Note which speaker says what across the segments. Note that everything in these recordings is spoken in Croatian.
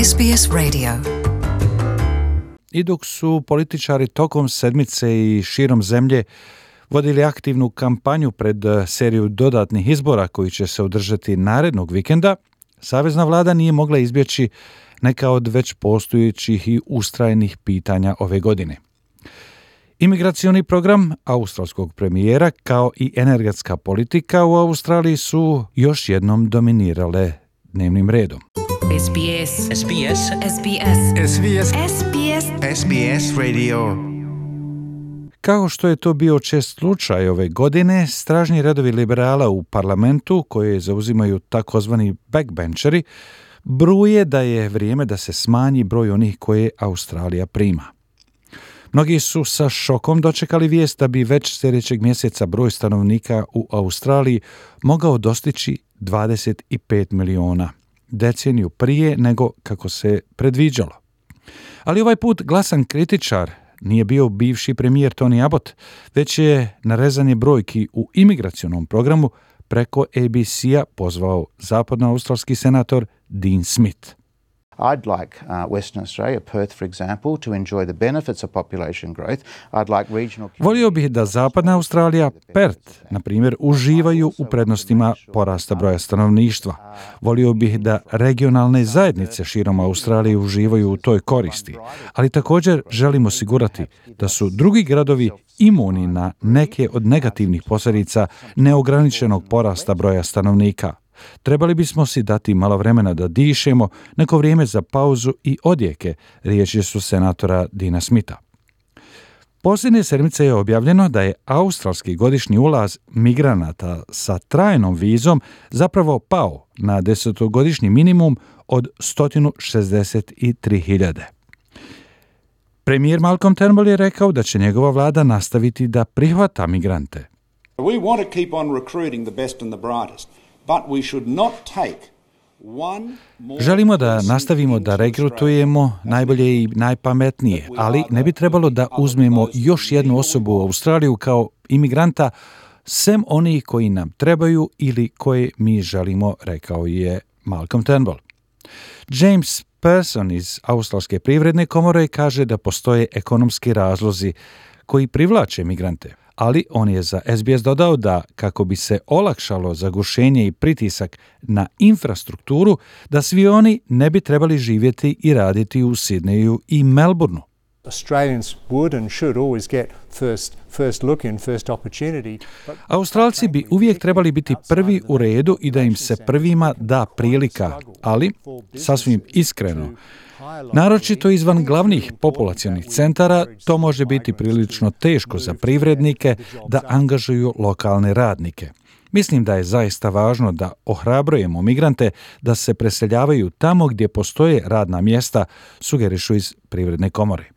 Speaker 1: SBS Radio.
Speaker 2: I dok su političari tokom sedmice i širom zemlje vodili aktivnu kampanju pred seriju dodatnih izbora koji će se održati narednog vikenda, savezna vlada nije mogla izbjeći neka od već postojećih i ustrajnih pitanja ove godine. Imigracioni program australskog premijera kao i energetska politika u Australiji su još jednom dominirale dnevnim redom.
Speaker 1: SBS. SBS. SBS.
Speaker 3: SBS.
Speaker 1: SBS.
Speaker 3: SBS Radio.
Speaker 2: Kao što je to bio čest slučaj ove godine, stražni redovi liberala u parlamentu, koje zauzimaju takozvani backbencheri, bruje da je vrijeme da se smanji broj onih koje Australija prima. Mnogi su sa šokom dočekali vijest da bi već sljedećeg mjeseca broj stanovnika u Australiji mogao dostići 25 miliona, deceniju prije nego kako se predviđalo. Ali ovaj put glasan kritičar nije bio bivši premijer Tony Abbott, već je na rezanje brojki u imigracionom programu preko ABC-a pozvao zapadnoaustralski senator Dean Smith.
Speaker 4: I'd like Western Australia, Perth for example, to enjoy the benefits of population growth. I'd like regional...
Speaker 2: Volio bih da zapadna Australija, Perth, na primjer, uživaju u prednostima porasta broja stanovništva. Volio bih da regionalne zajednice širom Australije uživaju u toj koristi. Ali također želim osigurati da su drugi gradovi imuni na neke od negativnih posljedica neograničenog porasta broja stanovnika. Trebali bismo si dati malo vremena da dišemo, neko vrijeme za pauzu i odjeke, riječi su senatora Deana Smitha. Posljednje sedmice je objavljeno da je australski godišnji ulaz migranata sa trajnom vizom zapravo pao na 10-godišnji minimum od 163.000. Premijer Malcolm Turnbull je rekao da će njegova vlada nastaviti da prihvata migrante.
Speaker 5: We want to keep on recruiting the best and the brightest. But we should not take one more...
Speaker 2: Želimo da nastavimo da regrutujemo najbolje i najpametnije, ali ne bi trebalo da uzmemo još jednu osobu u Australiju kao imigranta, sem onih koji nam trebaju ili koje mi želimo, rekao je Malcolm Turnbull. James Pearson iz Australske privredne komore kaže da postoje ekonomski razlozi koji privlače migrante. Ali on je za SBS dodao da kako bi se olakšalo zagušenje i pritisak na infrastrukturu, da svi oni ne bi trebali živjeti i raditi u Sidneju i Melbourneu. Australci bi uvijek trebali biti prvi u redu i da im se prvima da prilika, ali sasvim iskreno, naročito izvan glavnih populacionih centara, to može biti prilično teško za privrednike da angažuju lokalne radnike. Mislim da je zaista važno da ohrabrujemo migrante da se preseljavaju tamo gdje postoje radna mjesta, sugerišu iz privredne komore.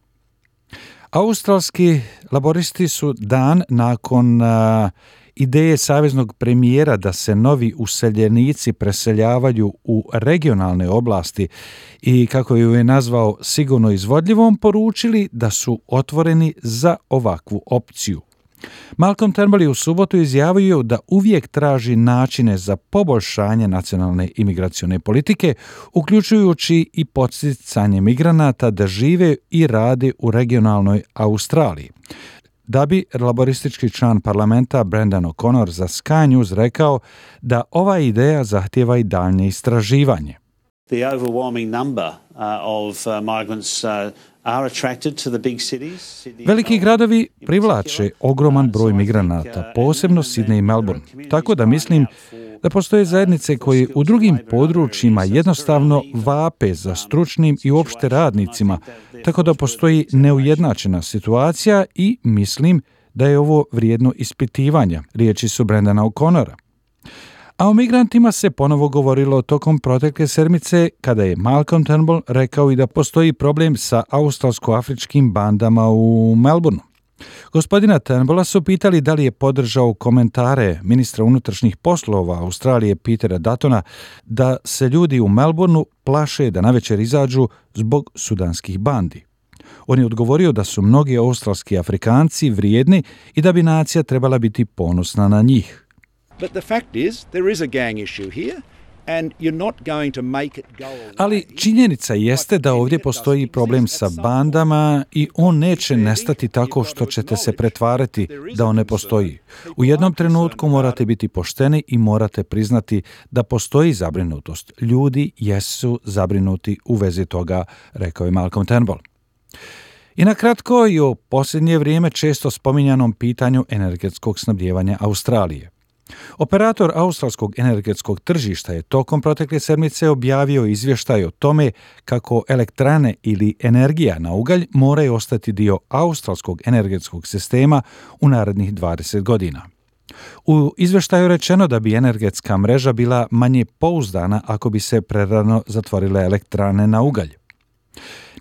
Speaker 2: Australski laboristi su dan nakon ideje saveznog premijera da se novi useljenici preseljavaju u regionalne oblasti i, kako ju je nazvao, sigurno izvodljivom, poručili da su otvoreni za ovakvu opciju. Malcolm Turnbull je u subotu izjavio da uvijek traži načine za poboljšanje nacionalne imigracione politike, uključujući i podsticanje migranata da žive i rade u regionalnoj Australiji. Da bi laboristički član parlamenta Brendan O'Connor za Sky News rekao da ova ideja zahtijeva i daljnje istraživanje.
Speaker 6: The overwhelming number of migrants are attracted to the big cities.
Speaker 2: Veliki gradovi privlače ogroman broj migranata, posebno Sydney i Melbourne. Tako da mislim da postoje zajednice koje u drugim područjima jednostavno vape za stručnim i uopšte radnicima, tako da postoji neujednačena situacija i mislim da je ovo vrijedno ispitivanja, riječi su Brendana O'Connora. A o migrantima se ponovo govorilo tokom protekle sedmice kada je Malcolm Turnbull rekao i da postoji problem sa australsko-afričkim bandama u Melbourneu. Gospodina Turnbulla su pitali da li je podržao komentare ministra unutrašnjih poslova Australije Petera Duttona da se ljudi u Melbourneu plaše da navečer izađu zbog sudanskih bandi. On je odgovorio da su mnogi australski Afrikanci vrijedni i da bi nacija trebala biti ponosna na njih.
Speaker 5: But the fact is, there is a gang issue here, and you're not going to make it go away.
Speaker 2: Ali činjenica jeste da ovdje postoji problem sa bandama i on neće nestati tako što ćete se pretvarati da on ne postoji. U jednom trenutku morate biti pošteni i morate priznati da postoji zabrinutost. Ljudi jesu zabrinuti u vezi toga, rekao je Malcolm Turnbull. I na kratko i o posljednje vrijeme često spominjanom pitanju energetskog snabdijevanja Australije. Operator australskog energetskog tržišta je tokom protekle sedmice objavio izvještaj o tome kako elektrane ili energija na ugalj moraju ostati dio australskog energetskog sistema u narednih 20 godina. U izvještaju rečeno da bi energetska mreža bila manje pouzdana ako bi se prerano zatvorile elektrane na ugalj.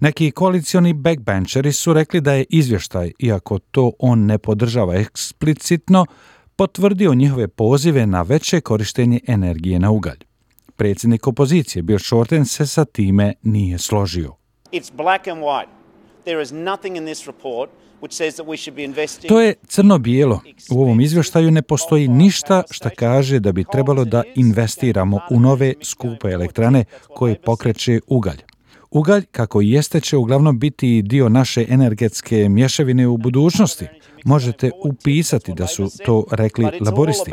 Speaker 2: Neki koalicioni backbencheri su rekli da je izvještaj, iako to on ne podržava eksplicitno, potvrdio njihove pozive na veće korištenje energije na ugalj. Predsjednik opozicije Bill Shorten se sa time nije složio. To je crno-bijelo. U ovom izvještaju ne postoji ništa što kaže da bi trebalo da investiramo u nove skupe elektrane koje pokreće ugalj. Ugalj, kako i jeste, će uglavnom biti dio naše energetske mješavine u budućnosti. Možete upisati da su to rekli laboristi.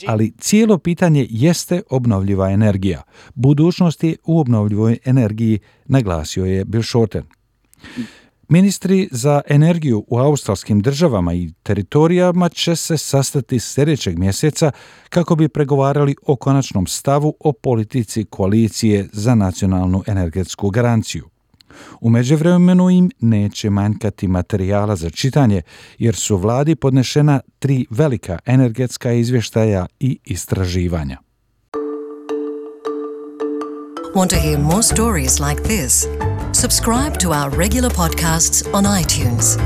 Speaker 2: Ali cijelo pitanje jeste obnovljiva energija. Budućnost je u obnovljivoj energiji, naglasio je Bill Shorten. Ministri za energiju u australskim državama i teritorijama će se sastati sljedećeg mjeseca kako bi pregovarali o konačnom stavu o politici koalicije za nacionalnu energetsku garanciju. U međuvremenu im neće manjkati materijala za čitanje jer su vladi podnešena 3 velika energetska izvještaja i istraživanja.
Speaker 1: Want to hear more stories like this? Subscribe to our regular podcasts on iTunes.